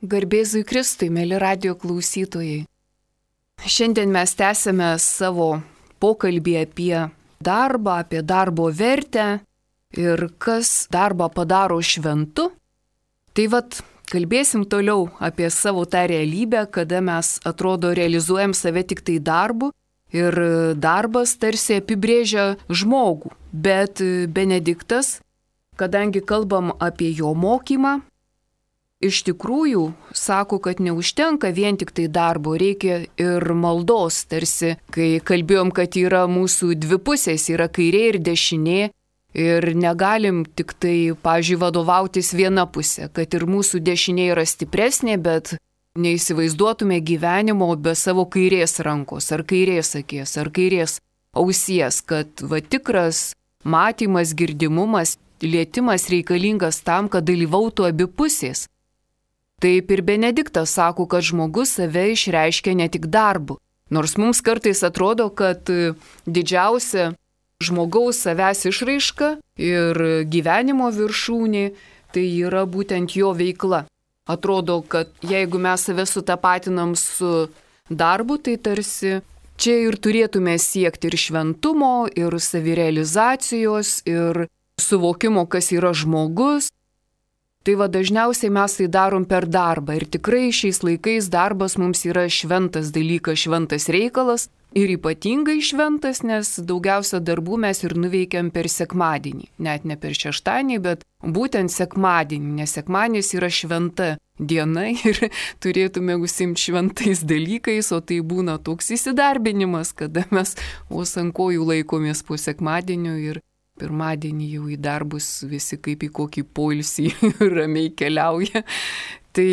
Garbėzui Kristui, mėly radijo klausytojai. Šiandien mes tęsime savo pokalbį apie darbą, apie darbo vertę ir kas darbą padaro šventu. Tai kalbėsim toliau apie savo tą realybę, kada mes atrodo realizuojam save tik tai darbu ir darbas tarsi apibrėžia žmogų. Bet Benediktas, kadangi kalbam apie jo mokymą, iš tikrųjų sako, kad neužtenka vien tik tai darbo, reikia ir maldos, tarsi, kai kalbėjom, kad yra mūsų dvi pusės, yra kairė ir dešinė, ir negalim tik tai, pavyzdžiui, vadovautis viena pusė, kad ir mūsų dešinė yra stipresnė, bet neįsivaizduotume gyvenimo be savo kairės rankos, ar kairės akies, ar kairės ausies, kad tikras matymas, girdimumas, lietimas reikalingas tam, kad dalyvautų abi pusės. Taip ir Benediktas sako, kad žmogus save išreiškia ne tik darbu. Nors mums kartais atrodo, kad didžiausia žmogaus savęs išraiška ir gyvenimo viršūnė tai yra būtent jo veikla. Atrodo, kad jeigu mes save sutapatinam su darbu, tai tarsi čia ir turėtume siekti ir šventumo, ir savirealizacijos, ir suvokimo, kas yra žmogus. Tai dažniausiai mes tai darom per darbą ir tikrai šiais laikais darbas mums yra šventas dalykas, šventas reikalas ir ypatingai šventas, nes daugiausia darbų mes ir nuveikiam per sekmadienį, net ne per šeštadienį, bet būtent sekmadienį, nes sekmadienis yra šventa diena ir turėtume užsiimti šventais dalykais, o tai būna toks įsidarbinimas, kada mes vos ant kojų laikomės po sekmadienio ir pirmadienį jau į darbus visi kaip į kokį poilsį ramiai keliauja. Tai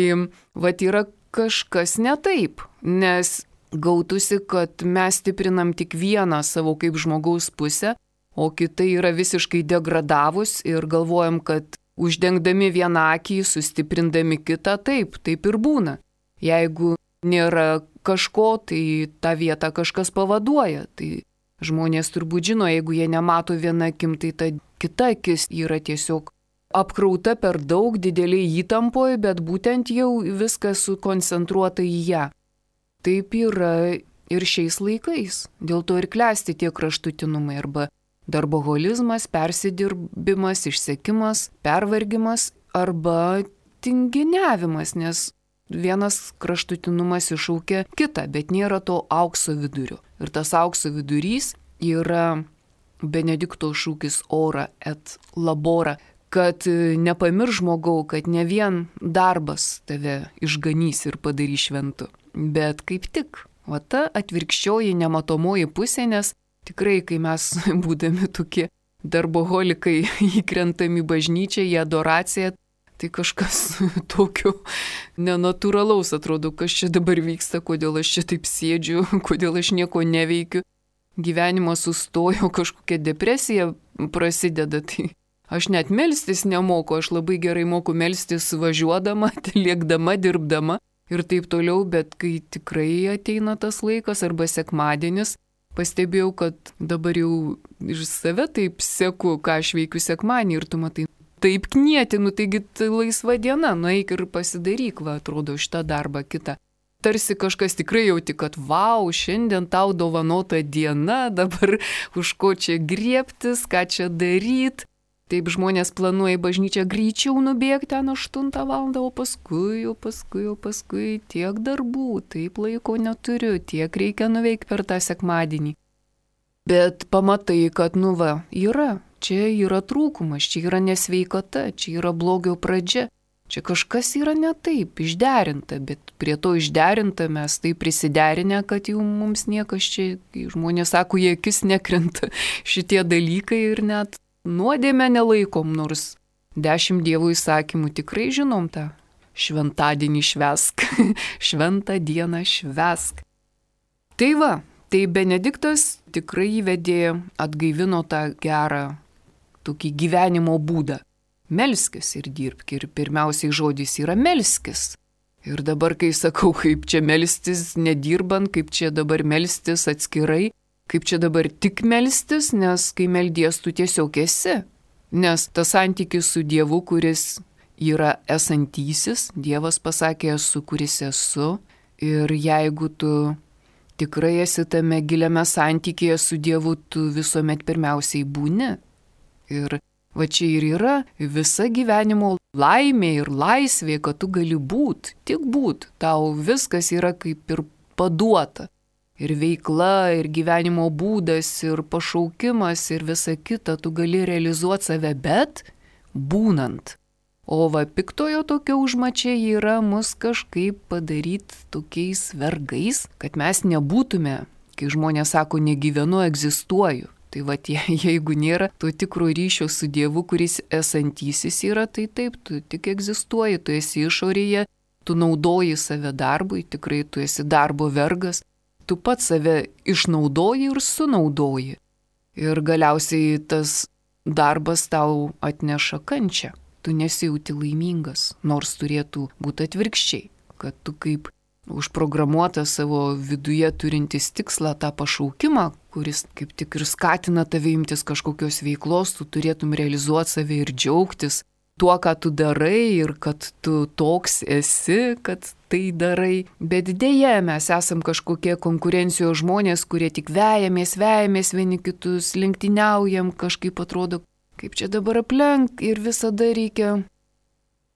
yra kažkas ne taip, nes gautųsi, kad mes stiprinam tik vieną savo kaip žmogaus pusę, o kita yra visiškai degradavus ir galvojam, kad uždengdami vieną akį, sustiprindami kitą, taip ir būna. Jeigu nėra kažko, tai tą vietą kažkas pavaduoja. Tai žmonės turbūt žino, jeigu jie nemato viena akim, tai ta kita akis yra tiesiog apkrauta per daug dideliai įtampoje, bet būtent jau viskas sukoncentruota į ją. Taip yra ir šiais laikais. Dėl to ir klesti tie kraštutinumai arba darboholizmas, persidirbimas, išsekimas, pervargimas arba tinginiavimas, nes vienas kraštutinumas iššaukia kitą, bet nėra to aukso vidurio. Ir tas aukso vidurys yra Benedikto šūkis ora et labora, kad nepamirš žmogau, kad ne vien darbas tave išganys ir padarys šventu, bet kaip tik, ta atvirkščioji nematomoji pusė, nes tikrai, kai mes būdami tokie darboholikai įkrentam į bažnyčią, į adoraciją, tai kažkas tokio nenatūralaus atrodo, kas čia dabar vyksta, kodėl aš čia taip sėdžiu, kodėl aš nieko neveikiu. Gyvenimas sustojo, kažkokia depresija prasideda, tai aš net melstis nemoku, aš labai gerai moku melstis važiuodama, lėkdama, dirbdama ir taip toliau, bet kai tikrai ateina tas laikas arba sekmadienis, pastebėjau, kad dabar jau iš save taip seku, ką aš veikiu sekmadienį ir tu matai, taip knieti, taigi tai laisva diena, nueik ir pasidaryk, atrodo, šitą darbą kitą. Tarsi kažkas tikrai jauti, kad vau, šiandien tau dovanota diena, dabar už ko čia griebtis, ką čia daryti. Taip žmonės planuoja į bažnyčią greičiau nubėgti ten 8 valandą, o paskui tiek darbų, taip laiko neturiu, tiek reikia nuveikti per tą sekmadienį. Bet pamatai, kad yra. Čia yra trūkumas, čia yra nesveikata, čia yra blogio pradžia, čia kažkas yra ne taip, išderinta, bet prie to išderinta mes tai prisiderinę, kad jau mums niekas čia, žmonės sako, jie akis nekrenta šitie dalykai ir net nuodėmę nelaikom, nors 10 Dievo įsakymų tikrai žinom tą šventadienį švęsk, šventą dieną švęsk. Tai Benediktas tikrai įvedė, atgaivino tą gerą tokį gyvenimo būdą. Melskis ir dirbk. Ir pirmiausiai žodis yra melskis. Ir dabar, kai sakau, kaip čia melstis nedirbant, kaip čia dabar melstis atskirai, kaip čia dabar tik melstis, nes kai meldies tu tiesiog esi. Nes tas santykis su Dievu, kuris yra esantysis, Dievas pasakė esu, kuris esu. Ir jeigu tu tikrai esi tame giliame santykėje su Dievu, tu visuomet pirmiausiai būni. Ir va čia ir yra visa gyvenimo laimė ir laisvė, kad tu gali būt, tik būt. Tau viskas yra kaip ir paduota. Ir veikla, ir gyvenimo būdas, ir pašaukimas, ir visa kita, tu gali realizuoti save, bet būnant. O va piktojo tokia užmačia yra mus kažkaip padaryti tokiais vergais, kad mes nebūtume, kai žmonės sako, negyvenu, egzistuoju. Tai va, jeigu nėra to tikro ryšio su Dievu, kuris esantysis yra, tai taip, tu tik egzistuoji, tu esi išorėje, tu naudoji save darbui, tikrai tu esi darbo vergas, tu pats save išnaudoji ir sunaudoji. Ir galiausiai tas darbas tau atneša kančią. Tu nesijauti laimingas, nors turėtų būti atvirkščiai, kad tu kaip užprogramuotas savo viduje turintis tikslą, tą pašaukimą, kuris kaip tik ir skatina tave imtis kažkokios veiklos, tu turėtum realizuoti save ir džiaugtis tuo, ką tu darai ir kad tu toks esi, kad tai darai. Bet dėja, mes esam kažkokie konkurencijos žmonės, kurie tik vejamės vieni kitus, lenktyniaujam, kažkaip atrodo, kaip čia dabar aplenk ir visada reikia.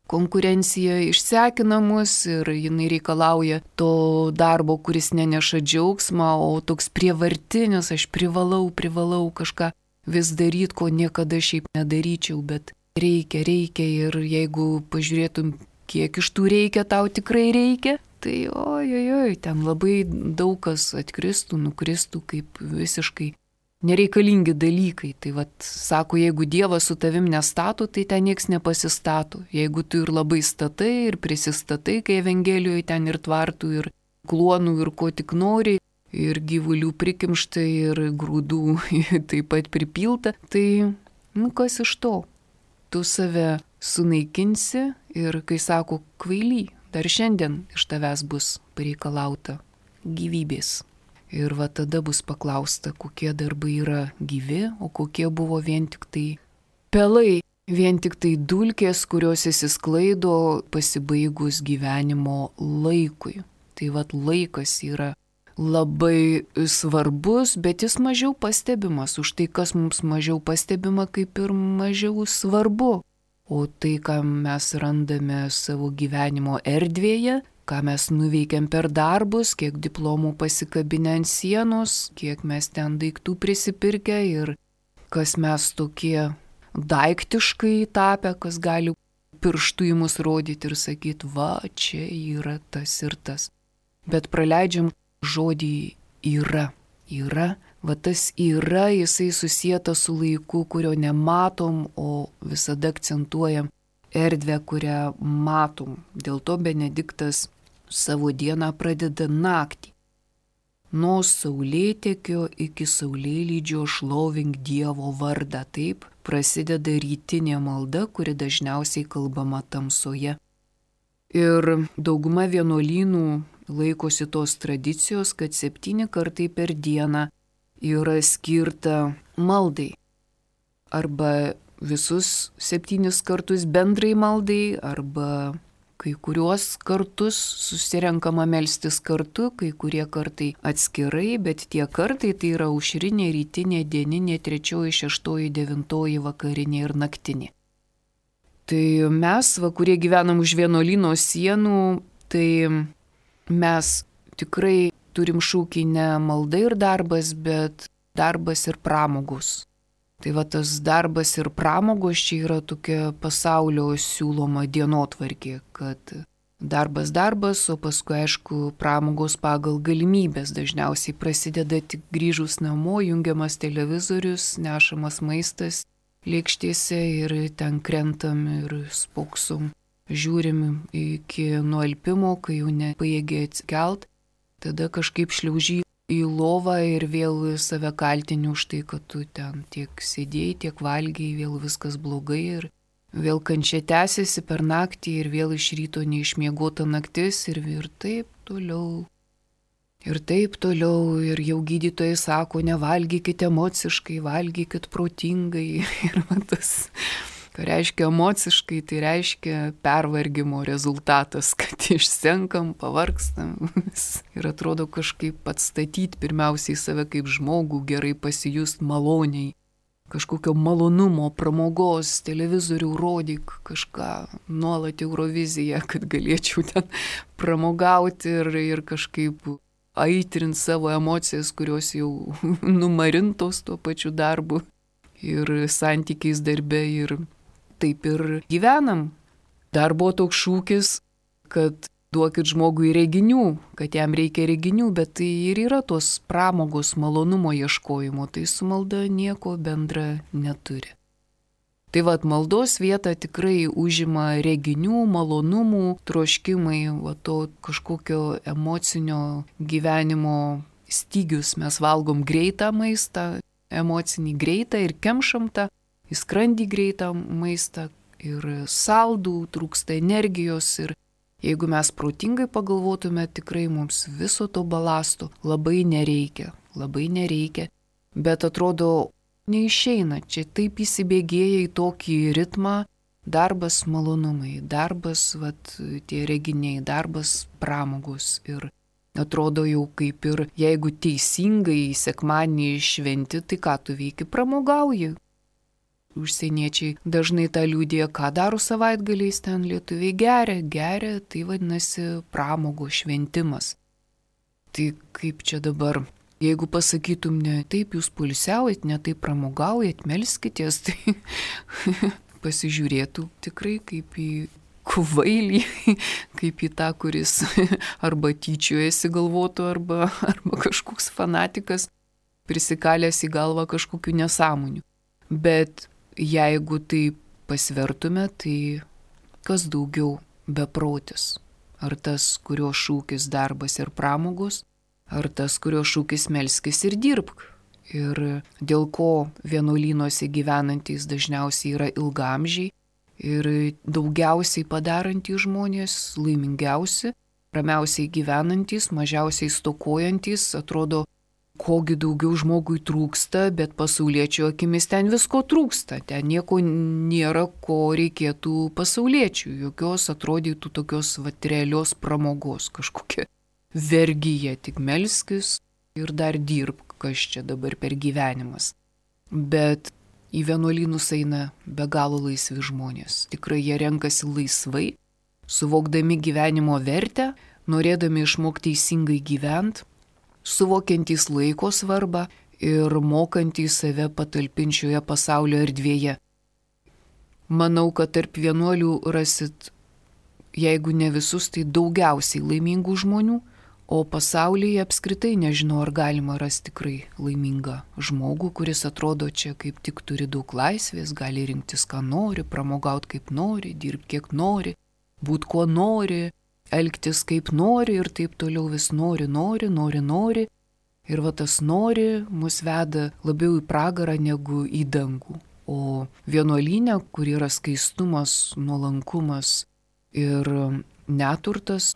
Konkurencija išsekina mus ir jinai reikalauja to darbo, kuris neneša džiaugsmą, o toks prievartinis, aš privalau kažką vis daryti, ko niekada šiaip nedaryčiau, bet reikia ir jeigu pažiūrėtum, kiek iš tų reikia, tau tikrai reikia, tai ojojoj, ten labai daug kas atkristų, nukristų kaip visiškai nereikalingi dalykai. Tai vat, sako, jeigu Dievas su tavim nestato, tai ten nieks nepasistato. Jeigu tu ir labai statai ir prisistatai, kai Evangelijoje ten ir tvartų, ir kluonų, ir ko tik nori, ir gyvulių prikimšta, ir grūdų taip pat pripilta, tai kas iš to? Tu save sunaikinsi ir kai sako kvaily, dar šiandien iš tavęs bus pareikalauta gyvybės. Ir va tada bus paklausta, kokie darbai yra gyvi, o kokie buvo vien tik tai pelai, vien tik tai dulkės, kurios įsisklaido pasibaigus gyvenimo laikui. Tai va laikas yra labai svarbus, bet jis mažiau pastebimas. Už tai, kas mums mažiau pastebima, kaip ir mažiau svarbu. O tai, ką mes randame savo gyvenimo erdvėje, ką mes nuveikėm per darbus, kiek diplomų pasikabinę ant sienos, kiek mes ten daiktų prisipirkę ir kas mes tokie daiktiškai tapę, kas gali pirštų į mus rodyti ir sakyti, va, čia yra tas ir tas. Bet praleidžiam žodį yra. Va tas yra, jisai susietas su laiku, kurio nematom, o visada akcentuojam erdvę, kurią matom. Dėl to Benediktas savo dieną pradeda naktį. Nuo saulėtekio iki saulėlydžio šlovink Dievo vardą. Taip prasideda rytinė malda, kuri dažniausiai kalbama tamsoje. Ir dauguma vienuolynų laikosi tos tradicijos, kad 7 kartai per dieną yra skirta maldai. Arba visus 7 kartus bendrai maldai, arba kai kuriuos kartus susirenkama melstis kartu, kai kurie kartai atskirai, bet tie kartai tai yra aušrinė, rytinė, dieninė, 3, 6, 9 vakarinė ir naktinė. Tai mes, kurie gyvenam už vienuolyno sienų, tai mes tikrai turim šūkį ne malda ir darbas, bet darbas ir pramogos. Tai va tas darbas ir pramogos čia yra tokia pasaulio siūloma dienotvarkė, kad darbas, o paskui aišku pramogos pagal galimybės. Dažniausiai prasideda tik grįžus namo, jungiamas televizorius, nešamas maistas lėkštėse ir ten krentam ir spoksom. Žiūrim iki nualpimo, kai jau nepajėgia atsikelt, tada kažkaip šliauži į lovą ir vėl save kaltini už tai, kad tu ten tiek sėdėjai, tiek valgiai, vėl viskas blogai ir vėl kančia tęsiasi per naktį ir vėl iš ryto neišmiegota naktis ir taip toliau. Ir taip toliau ir jau gydytojai sako, nevalgykit emociškai, valgykit protingai ir tas Ką reiškia emociškai, tai reiškia pervargimo rezultatas, kad išsenkam, pavargstam ir atrodo kažkaip atstatyti pirmiausiai save kaip žmogų, gerai pasijust maloniai. Kažkokio malonumo, pramogos, televizorių rodyk, kažką, nuolat Euroviziją, kad galėčiau ten pramogauti ir kažkaip aitrint savo emocijas, kurios jau numarintos tuo pačiu darbu ir santykiais darbe ir taip ir gyvenam. Dar buvo toks šūkis, kad duokit žmogui reginių, kad jam reikia reginių, bet tai ir yra tos pramogos malonumo ieškojimo, tai su malda nieko bendra neturi. Tai vat maldos vietą tikrai užima reginių, malonumų, troškimai, to kažkokio emocinio gyvenimo stygius. Mes valgom greitą maistą, emocinį greitą ir kemšam tą į skrandį greitą maistą ir saldų, trūksta energijos ir jeigu mes protingai pagalvotume, tikrai mums viso to balasto labai nereikia, bet atrodo neišeina, čia taip įsibėgėja į tokį ritmą, darbas malonumai, darbas tie reginiai, darbas pramogos ir atrodo jau kaip ir jeigu teisingai sekmadienį šventi, tai ką tu veiki, pramogauji. Užsieniečiai dažnai tą liudija, ką daro savaitgaliais ten lietuviai geria, tai vadinasi pramogo šventimas. Tai kaip čia dabar, jeigu pasakytum, ne taip jūs poilsiaujat, ne taip pramogaujat, melskitės, tai pasižiūrėtų tikrai kaip į kvailį, kaip į tą, kuris arba tyčiojasi galvotų, arba kažkoks fanatikas prisikalęs į galvą kažkokių nesąmonių. Bet jeigu tai pasvertume, tai kas daugiau beprotis? Ar tas, kurio šūkis darbas ir pramogos, ar tas, kurio šūkis melskis ir dirbk? Ir dėl ko vienuolynuose gyvenantys dažniausiai yra ilgaamžiai ir daugiausiai padarantys žmonės, laimingiausi, ramiausiai gyvenantys, mažiausiai stokojantys, atrodo, kogi daugiau žmogui trūksta, bet pasauliečio akimis ten visko trūksta. Ten nieko nėra, ko reikėtų pasauliečių. Jokios atrodytų tokios realios pramogos, kažkokia vergyja, tik melskis ir dar dirbk, kas čia dabar per gyvenimas. Bet į vienuolynus eina be galo laisvi žmonės. Tikrai jie renkasi laisvai, suvokdami gyvenimo vertę, norėdami išmokti teisingai gyventi, suvokiantys laiko svarbą ir mokantys save patalpinčioje pasaulio erdvėje. Manau, kad tarp vienuolių rasit, jeigu ne visus, tai daugiausiai laimingų žmonių, o pasaulyje apskritai nežinau, ar galima rasti tikrai laimingą žmogų, kuris atrodo čia kaip tik turi daug laisvės, gali rinktis, ką nori, pramogauti kaip nori, dirbti kiek nori, būti kuo nori, elgtis kaip nori ir taip toliau vis nori. Ir tas nori mus veda labiau į pragarą negu į dangų. O vienuolyne, kur yra skaistumas, nuolankumas ir neturtas,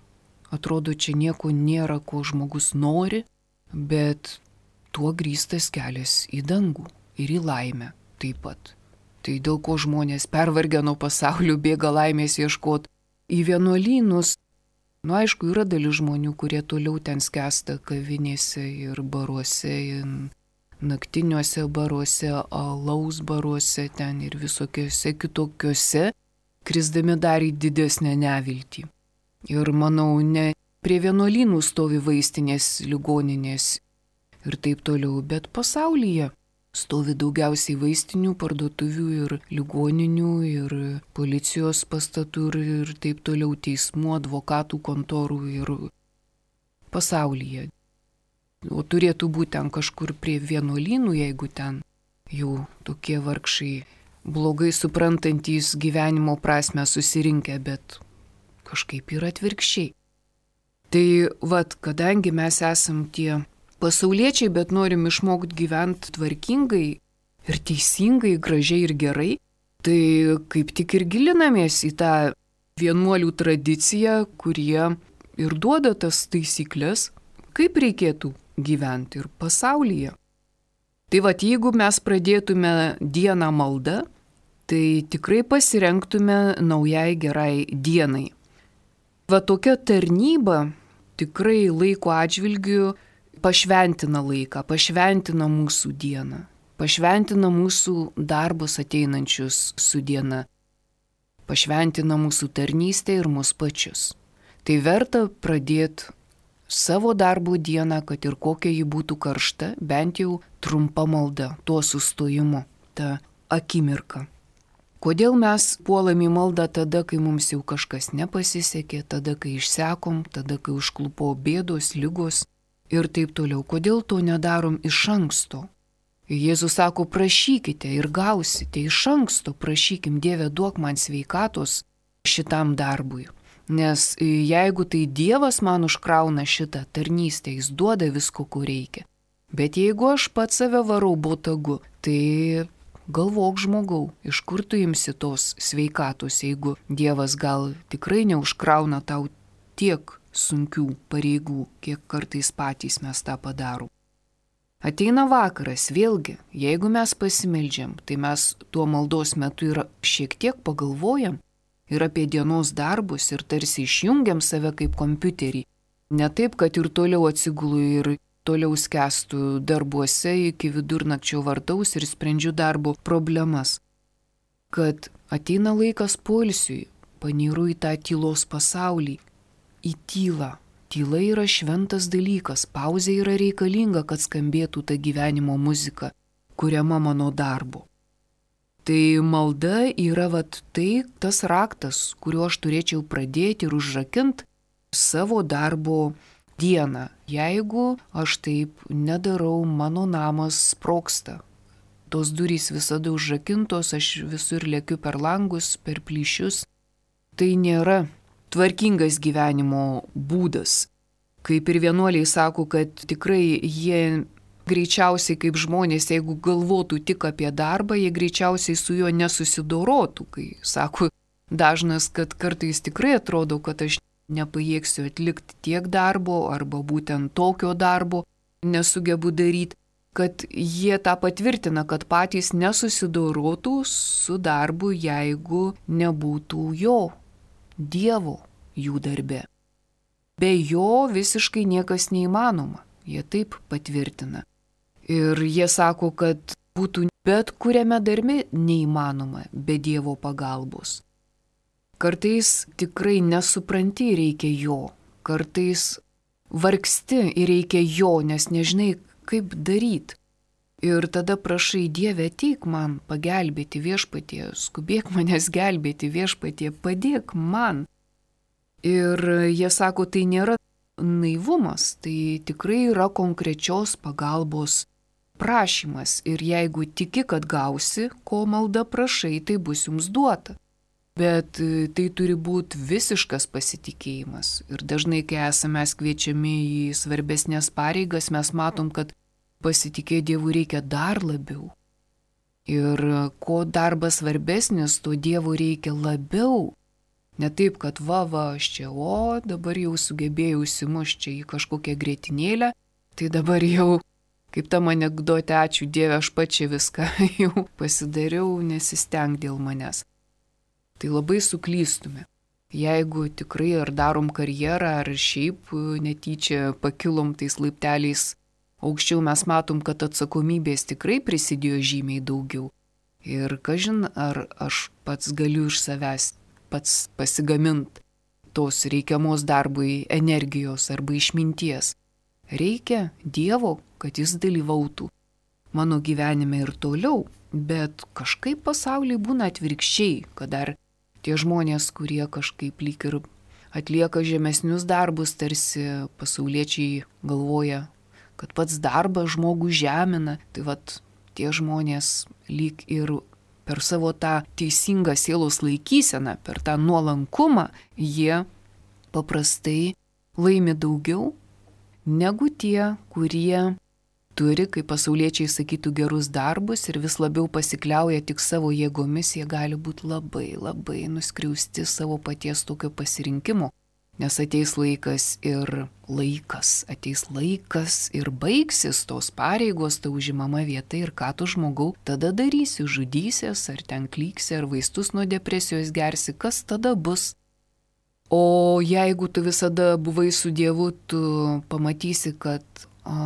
atrodo, čia nieko nėra, ko žmogus nori, bet tuo grįstas kelias į dangų ir į laimę taip pat. Tai dėl ko žmonės pervargę nuo pasaulio bėga laimės ieškoti į vienuolynus. Aišku, yra dalis žmonių, kurie toliau ten skęsta kavinėse ir baruose, ir naktiniuose baruose, alaus baruose ten ir visokiuose kitokiuose, krisdami dar į didesnę neviltį. Ir manau, ne prie vienuolynų stovi vaistinės, ligoninės ir taip toliau, bet pasaulyje stovi daugiausiai vaistinių, parduotuvių ir ligoninių ir policijos pastatų ir taip toliau, teismų, advokatų kontorų ir pasaulyje. O turėtų būti ten kažkur prie vienuolynų, jeigu ten jau tokie vargšai blogai suprantantys gyvenimo prasme susirinkę, bet kažkaip yra atvirkščiai. Tai kadangi mes esam tie pasauliečiai, bet norim išmokti gyventi tvarkingai ir teisingai, gražiai ir gerai, tai kaip tik ir gilinamės į tą vienuolių tradiciją, kurie ir duoda tas taisyklės, kaip reikėtų gyventi ir pasaulyje. Tai jeigu mes pradėtume dieną maldą tai tikrai pasirenktume naujai gerai dienai. Va tokia tarnyba tikrai laiko atžvilgiu pašventina laiką, pašventina mūsų dieną, pašventina mūsų darbus ateinančius su diena, pašventina mūsų tarnystę ir mus pačius. Tai verta pradėti savo darbo dieną, kad ir kokia ji būtų karšta, bent jau trumpa malda, tuo sustojimu, ta akimirka. Kodėl mes puolam į maldą tada, kai mums jau kažkas nepasisekė, tada, kai išsekom, tada, kai užklupo bėdos, lygos ir taip toliau. Kodėl to nedarom iš anksto? Jėzus sako, prašykite ir gausite, iš anksto prašykim, Dieve, duok man sveikatos šitam darbui. Nes jeigu tai Dievas man užkrauna šitą tarnystę, jis duoda visko, ko reikia. Bet jeigu aš pats save varau botagu, tai galvok žmogau, iš kur tu imsi tos sveikatos, jeigu Dievas gal tikrai neužkrauna tau tiek sunkių pareigų, kiek kartais patys mes tą padarom. Ateina vakaras, vėlgi, jeigu mes pasimeldžiam, tai mes tuo maldos metu ir šiek tiek pagalvojam ir apie dienos darbus ir tarsi išjungiam save kaip kompiuterį. Ne taip, kad ir toliau atsigulu ir toliau skęstu darbuose iki vidurnakčio vartaus ir sprendžiu darbo problemas. Kad ateina laikas poilsiui, panyru į tą tylos pasaulį, į tylą. Tyla yra šventas dalykas, pauzė yra reikalinga, kad skambėtų ta gyvenimo muzika, kuriama mano darbo. Tai malda yra tas raktas, kuriuo aš turėčiau pradėti ir užrakinti savo darbo dieną. Jeigu aš taip nedarau, mano namas sprogsta. Tos durys visada užrakintos, aš visur lėkiu per langus, per plyšius. Tai nėra tvarkingas gyvenimo būdas. Kaip ir vienuoliai sako, kad tikrai jie greičiausiai kaip žmonės, jeigu galvotų tik apie darbą, jie greičiausiai su juo nesusidorotų. Kai sako dažnas, kad kartais tikrai atrodo, kad aš nepajėgsiu atlikti tiek darbo arba būtent tokio darbo nesugebu daryti, kad jie tą patvirtina, kad patys nesusidorotų su darbu, jeigu nebūtų jo, Dievo jų darbe. Be jo visiškai niekas neįmanoma, jie taip patvirtina. Ir jie sako, kad būtų bet kuriame darbe neįmanoma be Dievo pagalbos. Kartais tikrai nesupranti ir reikia jo, kartais vargsti ir reikia jo, nes nežinai, kaip daryti. Ir tada prašai, Dieve, ateik man pagelbėti viešpatie, skubėk manęs gelbėti viešpatie, padėk man. Ir jie sako, tai nėra naivumas, tai tikrai yra konkrečios pagalbos prašymas. Ir jeigu tiki, kad gausi, ko malda prašai, tai bus jums duota. Bet tai turi būti visiškas pasitikėjimas. Ir dažnai, kai esame kviečiami į svarbesnės pareigas, mes matom, kad pasitikėti Dievu reikia dar labiau. Ir ko darbas svarbesnis, to Dievo reikia labiau. Ne taip, kad aš čia, dabar jau sugebėjau įsimušti čia į kažkokią grietinėlę, tai dabar jau, kaip tam anekdote, ačiū Dieve, aš pačia viską jau pasidariau, nesisteng dėl manęs. Tai labai suklystume. Jeigu tikrai ar darom karjerą, ar šiaip netyčia pakilom tais laipteliais aukščiau, mes matom, kad atsakomybės tikrai prisidėjo žymiai daugiau. Ir kažin, ar aš pats galiu iš savęs pats pasigamint tos reikiamos darbui energijos arba išminties. Reikia Dievo, kad jis dalyvautų mano gyvenime ir toliau, bet kažkaip pasaulyje būna atvirkščiai, kad dar tie žmonės, kurie kažkaip lyg ir atlieka žemesnius darbus, tarsi pasauliečiai galvoja, kad pats darbas žmogų žemina, tai tie žmonės lyg ir per savo tą teisingą sielos laikyseną, per tą nuolankumą, jie paprastai laimi daugiau negu tie, kurie turi, kaip pasauliečiai sakytų, gerus darbus ir vis labiau pasikliauja tik savo jėgomis, jie gali būti labai, labai nuskriausti savo paties tokio pasirinkimo, Nes ateis laikas ir baigsis tos pareigos, ta užimama vieta ir ką tu žmogau tada darysi, žudysies, ar ten klyksi, ar vaistus nuo depresijos gersi, kas tada bus. O jeigu tu visada buvai su Dievu, tu pamatysi, kad,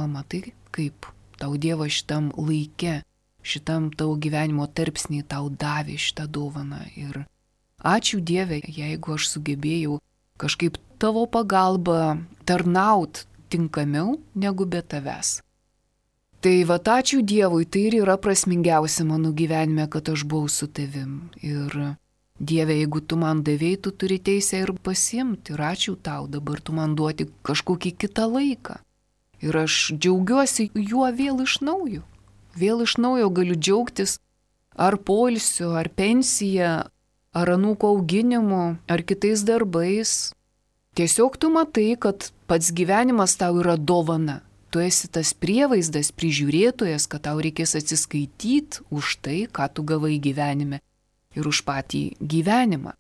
matai, kaip tau Dievas šitam laike, šitam tavo gyvenimo tarpsnį tau davė šitą dovaną. Ir ačiū Dieve, jeigu aš sugebėjau kažkaip tavo pagalba tarnaut tinkamiau negu be tavęs. Tai ačiū Dievui, tai ir yra prasmingiausia mano gyvenime, kad aš buvau su tavim. Ir Dieve, jeigu tu man davėjai, tu turi teisę ir pasiimti. Ir ačiū tau, dabar tu man duoti kažkokį kitą laiką. Ir aš džiaugiuosi juo vėl iš naujo. Vėl iš naujo galiu džiaugtis ar poilsiu, ar pensija, ar anūko auginimu, ar kitais darbais. Tiesiog tu matai, kad pats gyvenimas tau yra dovana. Tu esi tas prievaizdas, prižiūrėtojas, kad tau reikės atsiskaityti už tai, ką tu gavai gyvenime ir už patį gyvenimą.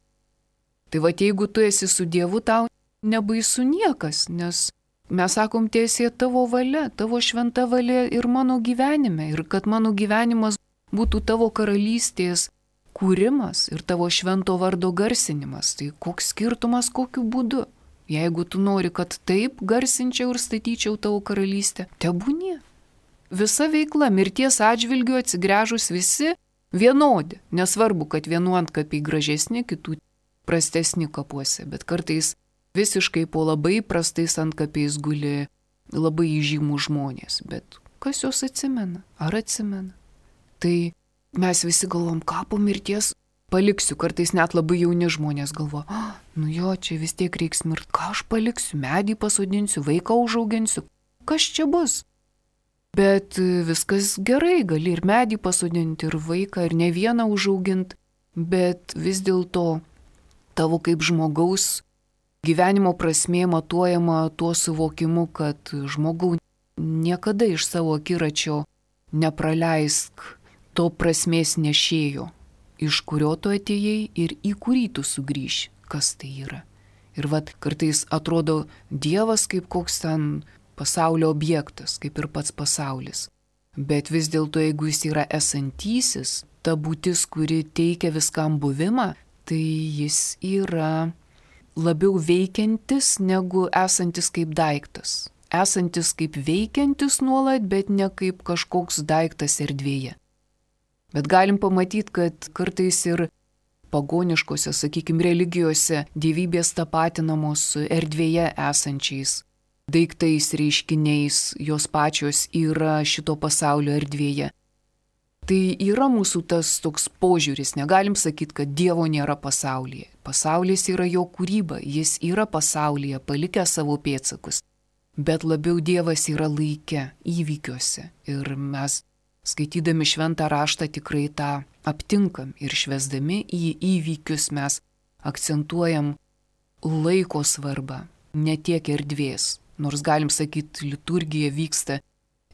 Tai jeigu tu esi su Dievu, tau nebaisu niekas, nes mes sakom, teisė tavo valia, tavo šventa valia ir mano gyvenime. Ir kad mano gyvenimas būtų tavo karalystės kūrimas ir tavo švento vardo garsinimas. Tai koks skirtumas, kokiu būdu? Jeigu tu nori, kad taip garsinčiau ir statyčiau tavo karalystę, tebūnie. Visa veikla mirties atžvilgiu atsigręžus visi vienodi. Nesvarbu, kad vienu antkapiai gražesni, kitų prastesni kapuose, bet kartais visiškai po labai prastais antkapiais guli labai įžymų žmonės. Bet kas juos atsimena? Ar atsimena? Tai mes visi galvom, ką po mirties paliksiu. Kartais net labai jauni žmonės galvo, čia vis tiek reiks mirti. Ką aš paliksiu? Medį pasodinsiu, vaiką užauginsiu. Kas čia bus? Bet viskas gerai, gali ir medį pasodinti, ir vaiką, ir ne vieną užauginti. Bet vis dėlto tavo kaip žmogaus gyvenimo prasmė matuojama tuo suvokimu, kad žmogau niekada iš savo akiračio nepraleisk to prasmės nešėjo, iš kurio tu atėjai ir į kurį tu sugrįši, kas tai yra. Ir kartais atrodo Dievas kaip koks ten pasaulio objektas, kaip ir pats pasaulis. Bet vis dėlto, jeigu jis yra esantysis, ta būtis, kuri teikia viskam buvimą, tai jis yra labiau veikiantis negu esantis kaip daiktas. Esantis kaip veikiantis nuolat, bet ne kaip kažkoks daiktas erdvėje. Bet galim pamatyti, kad kartais ir pagoniškose, religijose dievybės tapatinamos su erdvėje esančiais daiktais, reiškiniais, jos pačios yra šito pasaulio erdvėje. Tai yra mūsų tas toks požiūris, negalim sakyti, kad Dievo nėra pasaulyje. Pasaulis yra jo kūryba, jis yra pasaulyje, palikęs savo pėdsakus. Bet labiau Dievas yra laike, įvykiuose. Ir mes skaitydami šventą raštą tikrai tą aptinkam ir švęsdami į įvykius mes akcentuojam laiko svarbą, ne tiek erdvės. Nors galim sakyti, liturgija vyksta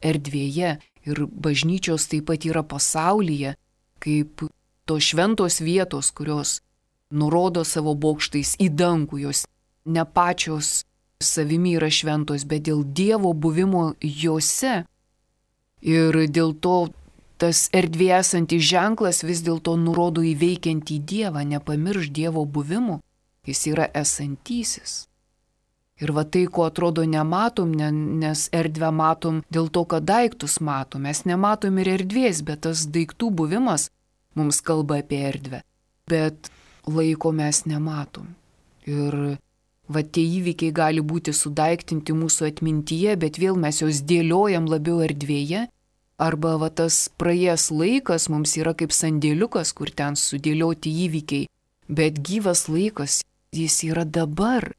erdvėje ir bažnyčios taip pat yra pasaulyje, kaip tos šventos vietos, kurios nurodo savo bokštais į dangų, jos ne pačios savimi yra šventos, bet dėl Dievo buvimo jose. Ir dėl to tas erdvėje esantis ženklas vis dėlto nurodo į veikiantį Dievą, nepamirš Dievo buvimo, jis yra esantysis. Ir tai, ko atrodo nematom, nes erdvę matom dėl to, kad daiktus matom. Mes nematom ir erdvės, bet tas daiktų buvimas mums kalba apie erdvę. Bet laiko mes nematom. Ir tie įvykiai gali būti sudaiktinti mūsų atmintyje, bet vėl mes juos dėliojam labiau erdvėje. Arba tas praėjęs laikas mums yra kaip sandėliukas, kur ten sudėlioti įvykiai. Bet gyvas laikas, jis yra dabar.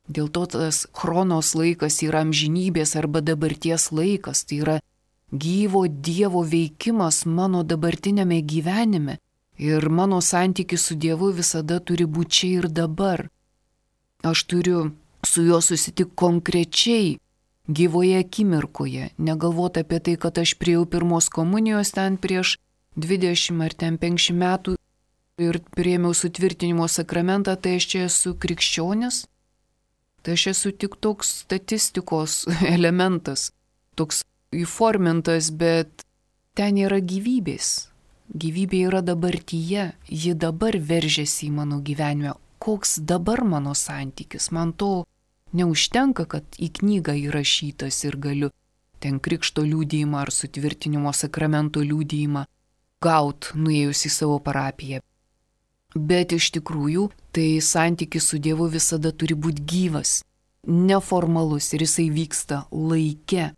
Dėl to tas chronos laikas yra amžinybės arba dabarties laikas. Tai yra gyvo Dievo veikimas mano dabartinėme gyvenime. Ir mano santykis su Dievu visada turi būti čia ir dabar. Aš turiu su juo susitikti konkrečiai, gyvoje akimirkoje. Negalvoti apie tai, kad aš priėjau pirmos komunijos ten prieš 20 ar 50 metų ir priėmiau sutvirtinimo sakramentą, tai aš čia esu krikščionis. Tai aš esu tik toks statistikos elementas, toks įformintas, bet ten yra gyvybės. Gyvybė yra dabartyje, ji dabar veržiasi į mano gyvenimą. Koks dabar mano santykis? Man to neužtenka, kad į knygą įrašytas ir galiu ten krikšto liudijimą ar sutvirtinimo sakramento liudijimą gaut, nuėjus į savo parapiją. Bet iš tikrųjų, tai santykis su Dievu visada turi būti gyvas, neformalus ir jisai vyksta laike.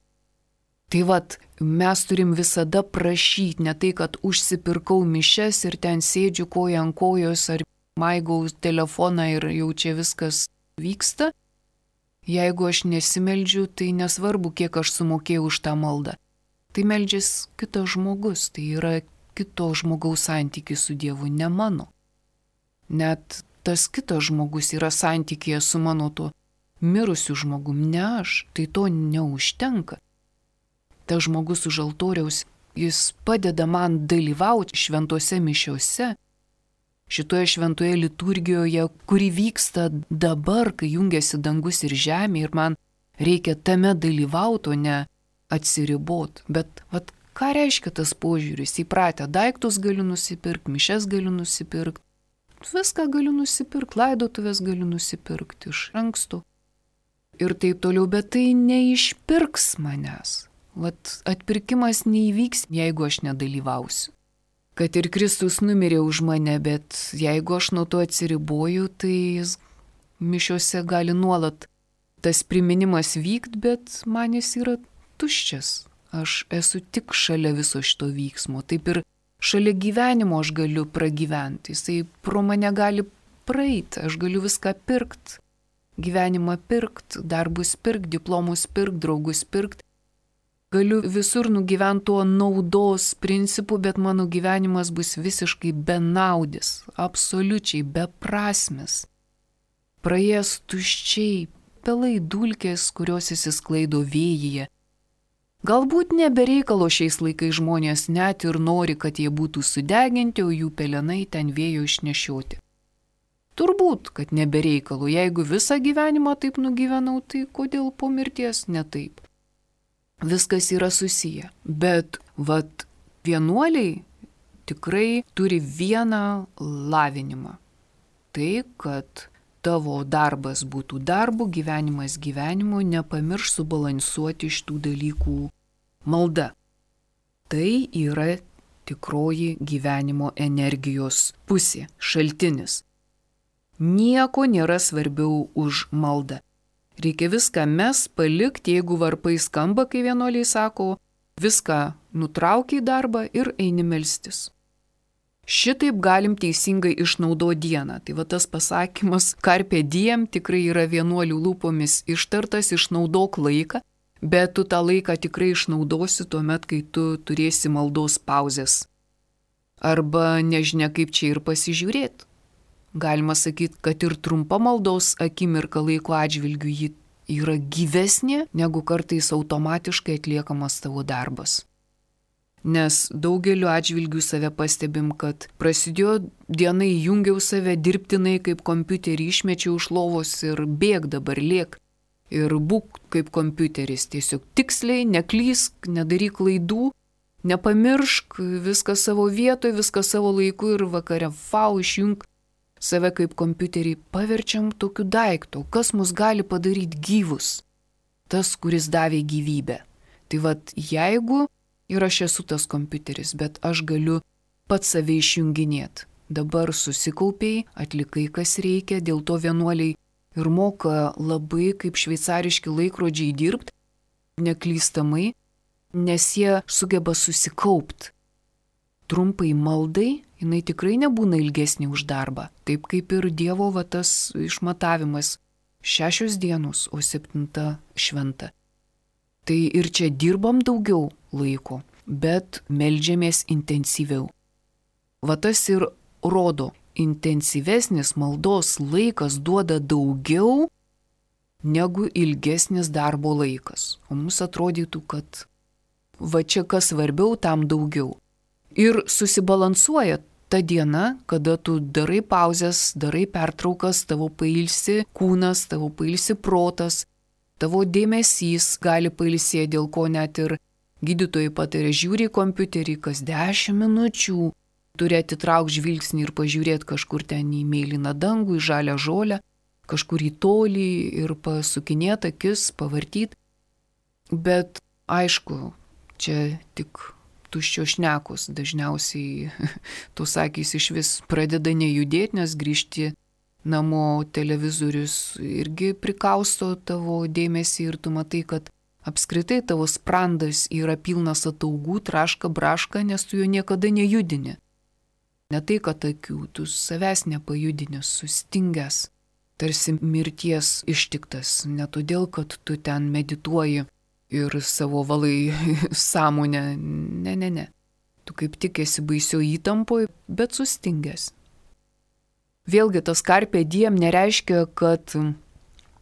Tai vat, mes turim visada prašyti, ne tai, kad užsipirkau mišias ir ten sėdžiu koja ant kojos ar maigau telefoną ir jau čia viskas vyksta. Jeigu aš nesimeldžiu, tai nesvarbu, kiek aš sumokėjau už tą maldą. Tai meldžias kitas žmogus, tai yra kito žmogaus santykis su Dievu, ne mano. Net tas kitas žmogus yra santykėje su mano tuo mirusiu žmogum, ne aš, tai to neužtenka. Tas žmogus už altoriaus, jis padeda man dalyvauti šventose mišiose, šitoje šventoje liturgijoje, kuri vyksta dabar, kai jungiasi dangus ir žemė ir man reikia tame dalyvauti, o ne atsiribot. Bet vat, ką reiškia tas požiūris? Įpratę daiktus galiu nusipirkti, mišias galiu nusipirkti, viską galiu nusipirkti, laidotuvės galiu nusipirkti iš anksto ir taip toliau, bet tai neišpirks manęs. Vat atpirkimas neįvyks, jeigu aš nedalyvausiu. Kad ir Kristus numirė už mane, bet jeigu aš nuo to atsiriboju, tai jis mišiuose gali nuolat tas priminimas vykt, bet man jis yra tuščias. Aš esu tik šalia viso šito vyksmo. Taip ir šalia gyvenimo aš galiu pragyventi. Jisai pro mane gali praeiti, aš galiu viską pirkti. Gyvenimą pirkti, darbus pirkti, diplomus pirkti, draugus pirkti. Galiu visur nugyventi tuo naudos principu, bet mano gyvenimas bus visiškai benaudis, absoliučiai beprasmis. Praėjęs tuščiai, pelai dulkės, kurios įsisklaido vėjyje. Galbūt nebereikalo šiais laikais žmonės net ir nori, kad jie būtų sudeginti, o jų pelenai ten vėjo išnešioti. Turbūt, kad nebereikalo, jeigu visą gyvenimą taip nugyvenau, tai kodėl po mirties ne taip? Viskas yra susiję, bet vat vienuoliai tikrai turi vieną lavinimą. Tai, kad tavo darbas būtų darbu, gyvenimas gyvenimu, nepamirš subalansuoti šitų dalykų malda. Tai yra tikroji gyvenimo energijos pusė, šaltinis. Nieko nėra svarbiau už maldą. Reikia viską mes palikti, jeigu varpai skamba, kai vienuoliai sako, viską nutrauki į darbą ir eini melstis. Šitaip galim teisingai išnaudoti dieną. Tai va tas pasakymas carpe diem tikrai yra vienuolių lūpomis ištartas, išnaudok laiką, bet tu tą laiką tikrai išnaudosi tuomet, kai tu turėsi maldos pauzės. Arba nežinia kaip čia ir pasižiūrėti. Galima sakyti, kad ir trumpa maldos akimirka laiko atžvilgiu ji yra gyvesnė, negu kartais automatiškai atliekamas tavo darbas. Nes daugeliu atžvilgių save pastebim, kad prasidėjo diena, įjungiau save dirbtinai kaip kompiuterį, išmečiau iš lovos ir bėg dabar, lėk. Ir būk kaip kompiuteris, tiesiog tiksliai, neklysk, nedaryk klaidų, nepamiršk, viską savo vietoje, viską savo laiku ir vakare išjung. Save kaip kompiuterį paverčiam tokiu daiktu, kas mus gali padaryti gyvus, tas, kuris davė gyvybę. Tai vat jeigu ir aš esu tas kompiuteris, bet aš galiu pats save išjunginėti. Dabar susikaupiai, atlikai kas reikia, dėl to vienuoliai ir moka labai kaip šveicariški laikrodžiai dirbti, neklystamai, nes jie sugeba susikaupti. Trumpai maldai, jinai tikrai nebūna ilgesnė už darbą, taip kaip ir Dievo va tas išmatavimas 6 dienos, o 7 šventa. Tai ir čia dirbam daugiau laiko, bet meldžiamės intensyviau. Va tas ir rodo, intensyvesnis maldos laikas duoda daugiau negu ilgesnis darbo laikas. O mums atrodytų, kad va čia kas svarbiau, tam daugiau. Ir susibalansuoja ta diena, kada tu darai pauzes, darai pertraukas, tavo pailsi kūnas, tavo pailsi protas, tavo dėmesys gali pailsėti, dėl ko net ir gydytojai patarė žiūri į kompiuterį kas 10 minučių, turi atitraukti žvilgsnį ir pažiūrėti kažkur ten į mėlyną dangų, į žalią žolę, kažkur į tolį ir pasukinėti akis, pavartyti. Bet aišku, čia tik tuščios šnekos, dažniausiai tos akys iš vis pradeda nejudėti, nes grįžti namo televizorius irgi prikausto tavo dėmesį ir tu matai, kad apskritai tavo sprandas yra pilnas ataugų, traška, braška, nes tu jo niekada nejudini. Ne tai, kad akių, tu savęs nepajudini, sustingęs, tarsi mirties ištiktas, ne todėl, kad tu ten medituoji ir savo valai sąmonę, ne. Tu kaip tik esi baisio įtampoje, bet sustingęs. Vėlgi tas carpe diem nereiškia, kad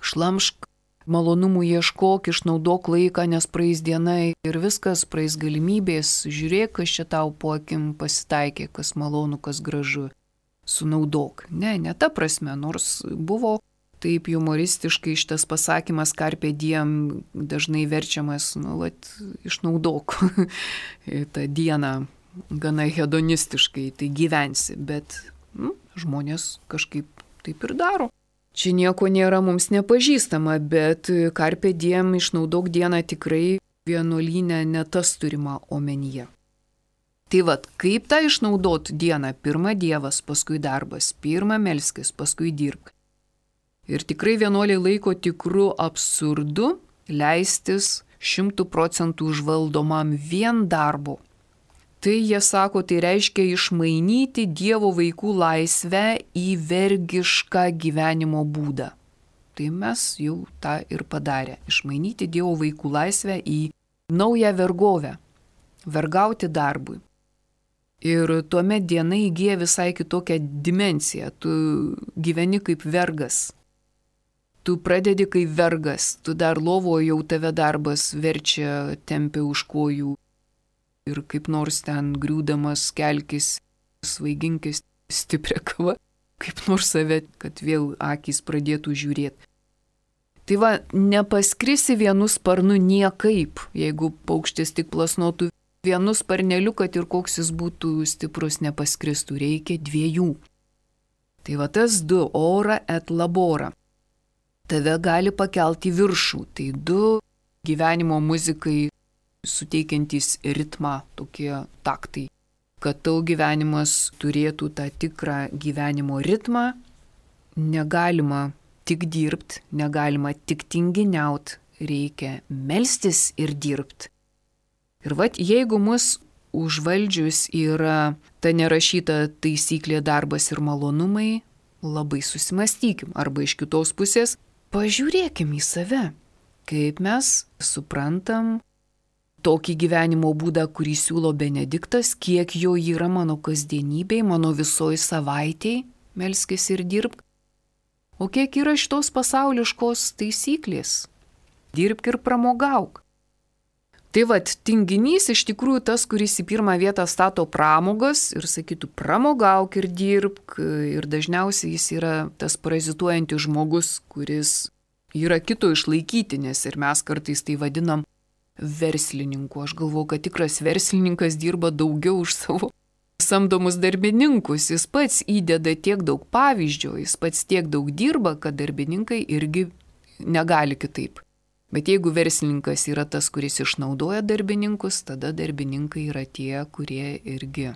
šlamšk, malonumų ieškok, išnaudok laiką, nes praeis diena ir viskas, praeis galimybės, žiūrėk, kas čia tau po akim pasitaikė, kas malonu, kas gražu, sunaudok. Ne ta prasme, nors buvo taip humoristiškai šitas pasakymas carpe diem dažnai verčiamas, išnaudok tą dieną gana hedonistiškai, tai gyvensi, bet žmonės kažkaip taip ir daro. Čia nieko nėra mums nepažįstama, bet carpe diem išnaudok dieną tikrai vienuolyne ne tas turima omenyje. Tai vat, kaip tą išnaudot dieną? Pirma Dievas, paskui darbas, pirma melskis, paskui dirbk. Ir tikrai vienuoliai laiko tikru absurdu leistis 100% užvaldomam vien darbo. Tai jie sako, tai reiškia išmainyti Dievo vaikų laisvę į vergišką gyvenimo būdą. Tai mes jau tą ir padarė. Išmainyti Dievo vaikų laisvę į naują vergovę. Vergauti darbui. Ir tuomet diena įgyja visai kitokią dimensiją. Tu gyveni kaip vergas. Tu pradedi kaip vergas. Tu dar lovoje jau tave darbas verčia, tempia už kojų. Ir kaip nors ten griūdamas kelkis, svaiginkis stiprią kavą, kaip nors save, kad vėl akys pradėtų žiūrėti. Tai va, nepaskrisi vienu sparnu niekaip, jeigu paukštis tik plasnotų vienu sparneliu, kad ir koks jis būtų stiprus, nepaskristų, reikia 2. Tai va tas 2, ora et labora, tave gali pakelti viršų, tai 2 gyvenimo muzikai, suteikiantys ritmą, tokie taktai, kad tau gyvenimas turėtų tą tikrą gyvenimo ritmą, negalima tik dirbti, negalima tik tinginiaut, reikia melstis ir dirbti. Ir vat, jeigu mus užvaldžius yra ta nerašyta taisyklė darbas ir malonumai, labai susimastykim, arba iš kitos pusės pažiūrėkim į save, kaip mes suprantam tokį gyvenimo būdą, kurį siūlo Benediktas, kiek jo yra mano kasdienybėj, mano visoj savaitėj, melskis ir dirbk, o kiek yra šitos pasauliškos taisyklės, dirbk ir pramogauk. Tai vat, tinginys iš tikrųjų tas, kuris į pirmą vietą stato pramogas ir sakytų pramogauk ir dirbk, ir dažniausiai jis yra tas parazituojantis žmogus, kuris yra kito išlaikyti, nes ir mes kartais tai vadinam verslininku. Aš galvoju, kad tikras verslininkas dirba daugiau už savo samdomus darbininkus. Jis pats įdeda tiek daug pavyzdžio, jis pats tiek daug dirba, kad darbininkai irgi negali kitaip. Bet jeigu verslininkas yra tas, kuris išnaudoja darbininkus, tada darbininkai yra tie, kurie irgi,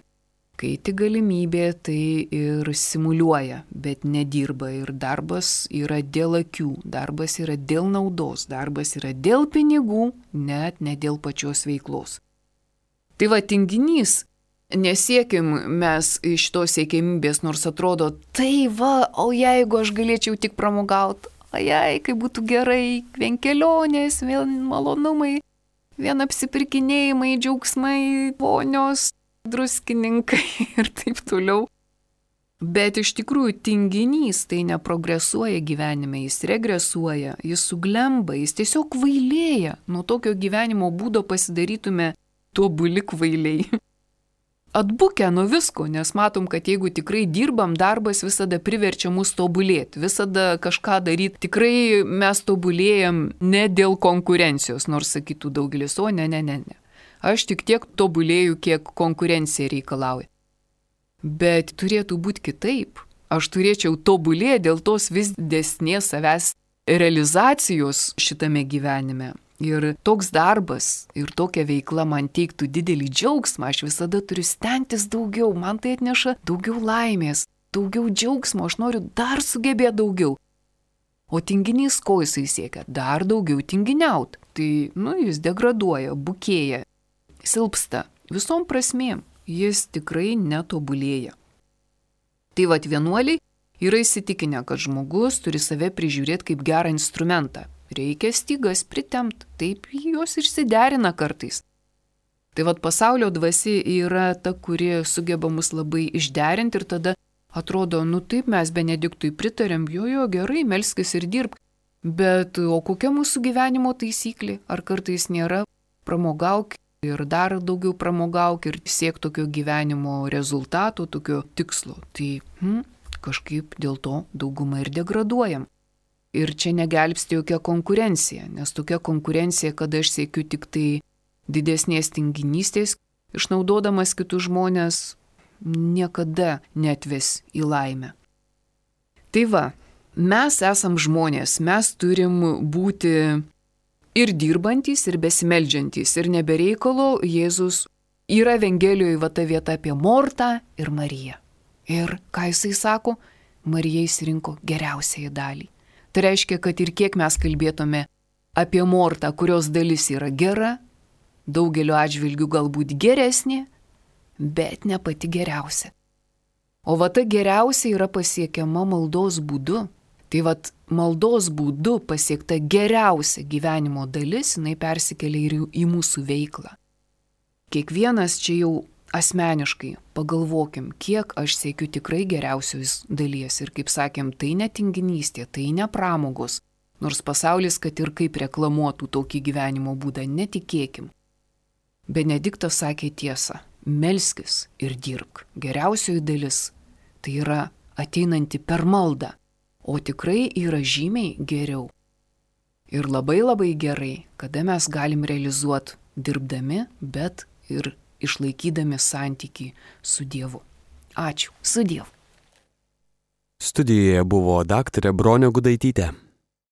kai tik galimybė, tai ir simuliuoja, bet nedirba. Ir darbas yra dėl akių, darbas yra dėl naudos, darbas yra dėl pinigų, net ne dėl pačios veiklos. Tai va, tinginys, nesiekim mes iš tos siekiamybės, nors atrodo, tai va, o jeigu aš galėčiau tik pramogauti, ajai, kaip būtų gerai, vien kelionės, vien malonumai, vien apsipirkinėjimai, džiaugsmai, vonios, druskininkai ir taip toliau. Bet iš tikrųjų tinginys tai neprogresuoja gyvenime, jis regresuoja, jis suglemba, jis tiesiog kvailėja. Nuo tokio gyvenimo būdo pasidarytume tobuli kvailiai. atbukę nuo visko, nes matom, kad jeigu tikrai dirbam, darbas visada priverčia mus tobulėti, visada kažką daryti. Tikrai mes tobulėjam ne dėl konkurencijos, nors sakytų daugelis, o ne. Aš tik tiek tobulėju, kiek konkurencija reikalauja. Bet turėtų būti kitaip. Aš turėčiau tobulėti dėl tos vis didesnės savęs realizacijos šitame gyvenime. Ir toks darbas ir tokia veikla man teiktų didelį džiaugsmą, aš visada turiu stengtis daugiau, man tai atneša daugiau laimės, daugiau džiaugsmo, aš noriu dar sugebėti daugiau. O tinginys ko jisai siekia? Dar daugiau tinginiaut. Tai, jis degraduoja, bukėja, silpsta, visom prasmėm, jis tikrai netobulėja. Tai vienuoliai yra įsitikinę, kad žmogus turi save prižiūrėti kaip gerą instrumentą. Reikia stygas pritempt, taip jos išsiderina kartais. Tai pasaulio dvasia yra ta, kuri sugeba mus labai išderinti ir tada atrodo, taip mes Benediktui pritarėm, jo, gerai, melskis ir dirbk. Bet o kokia mūsų gyvenimo taisyklė? Ar kartais nėra pramogauk ir dar daugiau pramogauk ir siek tokio gyvenimo rezultato, tokio tikslo? Tai kažkaip dėl to daugumą ir degraduojam. Ir čia negelbsti jokia konkurencija, nes tokia konkurencija, kada aš siekiu tik tai didesnės tinginystės, išnaudodamas kitus žmonės, niekada netves į laimę. Tai mes esam žmonės, mes turim būti ir dirbantys, ir besimeldžiantys, ir nebereikalo Jėzus yra Evangelijoje ta vieta apie Mortą ir Mariją. Ir ką jisai sako, Marija išsirinko geriausiąją dalį. Tai reiškia, kad ir kiek mes kalbėtume apie Mortą, kurios dalis yra gera, daugeliu atžvilgių galbūt geresnė, bet ne pati geriausia. O ta geriausia yra pasiekiama maldos būdu. Tai maldos būdu pasiekta geriausia gyvenimo dalis, jinai persikelia ir į mūsų veiklą. Kiekvienas čia jau asmeniškai pagalvokim, kiek aš siekiu tikrai geriausios dalies. Ir kaip sakėm, tai ne tinginystė, tai ne pramogos. Nors pasaulis, kad ir kaip reklamuotų tokį gyvenimo būdą, netikėkim. Benediktas sakė tiesą, melskis ir dirbk. Geriausioji dalis tai yra ateinanti per maldą, o tikrai yra žymiai geriau. Ir labai labai gerai, kada mes galim realizuoti dirbdami, bet ir išlaikydami santykį su Dievu. Ačiū, su Dievu. Studijoje buvo daktarė Bronė Gudaitytė.